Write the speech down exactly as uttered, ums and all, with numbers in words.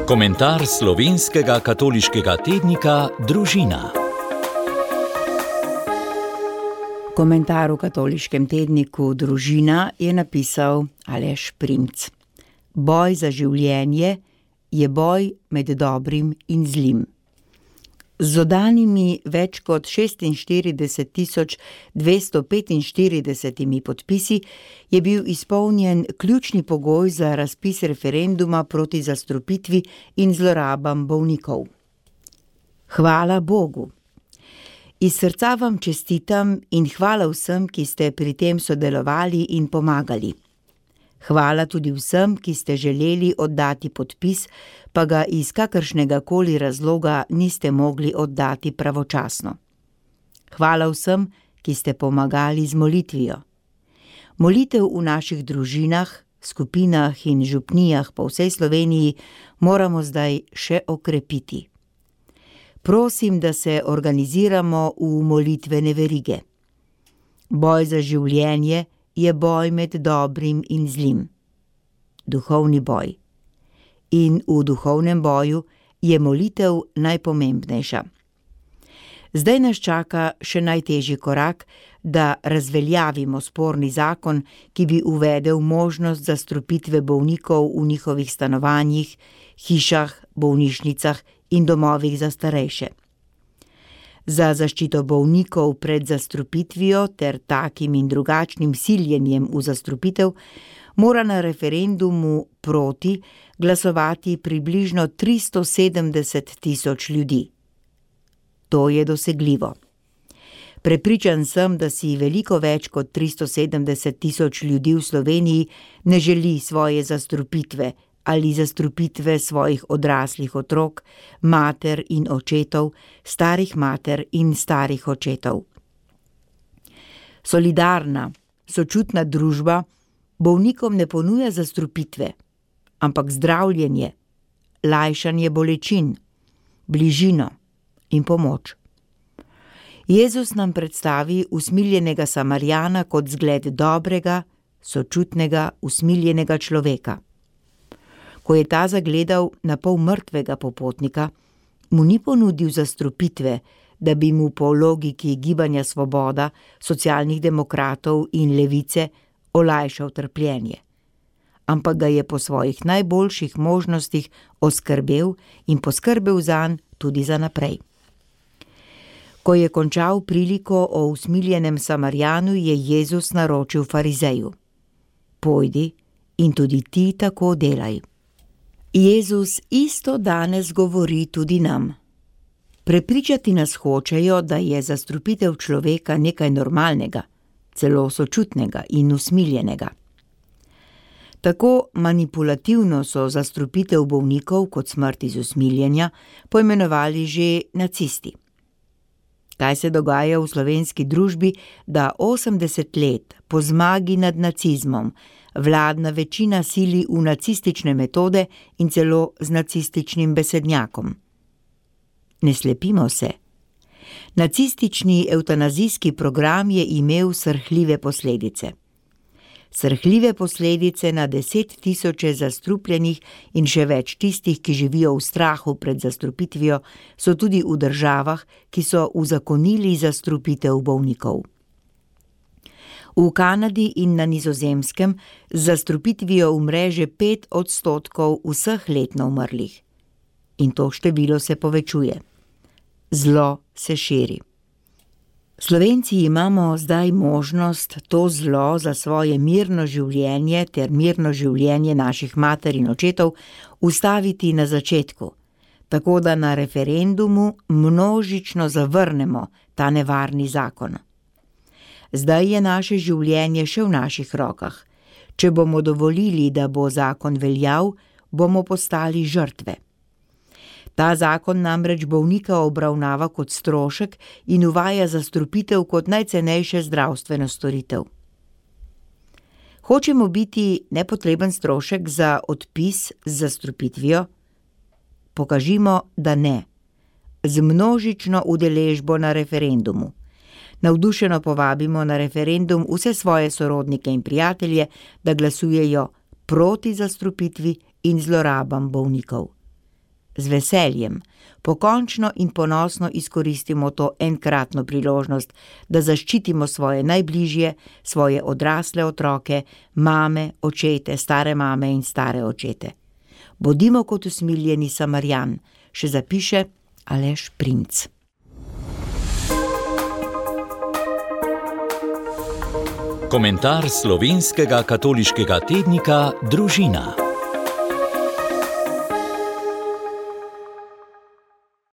Komentar slovenskega katoliškega tednika Družina. Komentar v katoliškem tedniku Družina je napisal Aleš Primc. Boj za življenje je boj med dobrim in zlim. Z oddanimi več kot šestinštirideset tisoč dvesto petinštiridesetimi podpisi je bil izpolnjen ključni pogoj za razpis referenduma proti zastrupitvi in zlorabam bolnikov. Hvala Bogu! Iz srca vam čestitam in hvala vsem, ki ste pri tem sodelovali in pomagali. Hvala tudi vsem, ki ste želeli oddati podpis, pa ga iz kakršnega koli razloga niste mogli oddati pravočasno. Hvala vsem, ki ste pomagali z molitvijo. Molitev v naših družinah, skupinah in župnijah po vsej Sloveniji moramo zdaj še okrepiti. Prosim, da se organiziramo v molitvene verige. Boj za življenje je boj med dobrim in zlim. Duhovni boj. In v duhovnem boju je molitev najpomembnejša. Zdaj nas čaka še najtežji korak, da razveljavimo sporni zakon, ki bi uvedel možnost zastrupitve bolnikov v njihovih stanovanjih, hišah, bolnišnicah in domovih za starejše. Za zaščito bolnikov pred zastrupitvijo ter takim in drugačnim siljenjem v zastrupitev mora na referendumu proti glasovati približno tristo sedemdeset tisoč ljudi. To je dosegljivo. Prepričan sem, da si veliko več kot tristo sedemdeset tisoč ljudi v Sloveniji ne želi svoje zastrupitve ali zastrupitve svojih odraslih otrok, mater in očetov, starih mater in starih očetov. Solidarna, sočutna družba bolnikom ne ponuja zastrupitve, ampak zdravljenje, lajšanje bolečin, bližino in pomoč. Jezus nam predstavi usmiljenega Samarijana kot zgled dobrega, sočutnega, usmiljenega človeka. Ko je ta zagledal na pol mrtvega popotnika, mu ni ponudil zastrupitve, da bi mu po logiki Gibanja Svoboda, Socialnih demokratov in Levice olajšal trpljenje, ampak ga je po svojih najboljših možnostih oskrbel in poskrbel zanj tudi za naprej. Ko je končal priliko o usmiljenem Samarijanu, je Jezus naročil farizeju: Pojdi in tudi ti tako delaj. Jezus isto danes govori tudi nam. Prepričati nas hočejo, da je zastrupitev človeka nekaj normalnega, celo sočutnega in usmiljenega. Tako manipulativno so zastrupitev bolnikov kot smrt iz usmiljenja poimenovali že nacisti. Kaj se dogaja v slovenski družbi, da osemdeset let po zmagi nad nacizmom vladna večina sili v nacistične metode in celo z nacističnim besednjakom? Ne slepimo se. Nacistični evtanazijski program je imel srhljive posledice. Srhljive posledice na deset tisoče zastrupljenih in še več tistih, ki živijo v strahu pred zastrupitvijo, so tudi v državah, ki so uzakonili zastrupitev bolnikov. V Kanadi in na Nizozemskem z zastrupitvijo umre že pet odstotkov vseh letno umrlih. In to število se povečuje. Zlo se širi. Slovenci imamo zdaj možnost to zlo za svoje mirno življenje ter mirno življenje naših mater in očetov ustaviti na začetku, tako da na referendumu množično zavrnemo ta nevarni zakon. Zdaj je naše življenje še v naših rokah. Če bomo dovolili, da bo zakon veljal, bomo postali žrtve. Ta zakon namreč bolnika obravnava kot strošek in uvaja zastrupitev kot najcenejše zdravstveno storitev. Hočemo biti nepotreben strošek za odpis z zastrupitvijo? Pokažimo, da ne. Z množično udeležbo na referendumu. Navdušeno povabimo na referendum vse svoje sorodnike in prijatelje, da glasujejo proti zastrupitvi in zlorabam bolnikov. z veseljem, pokončno in ponosno izkoristimo to enkratno priložnost, da zaščitimo svoje najbližje, svoje odrasle otroke, mame, očete, stare mame in stare očete. Bodimo kot usmiljeni Samarijan, še zapiše Aleš Primc. Komentar slovenskega katoliškega tednika Družina.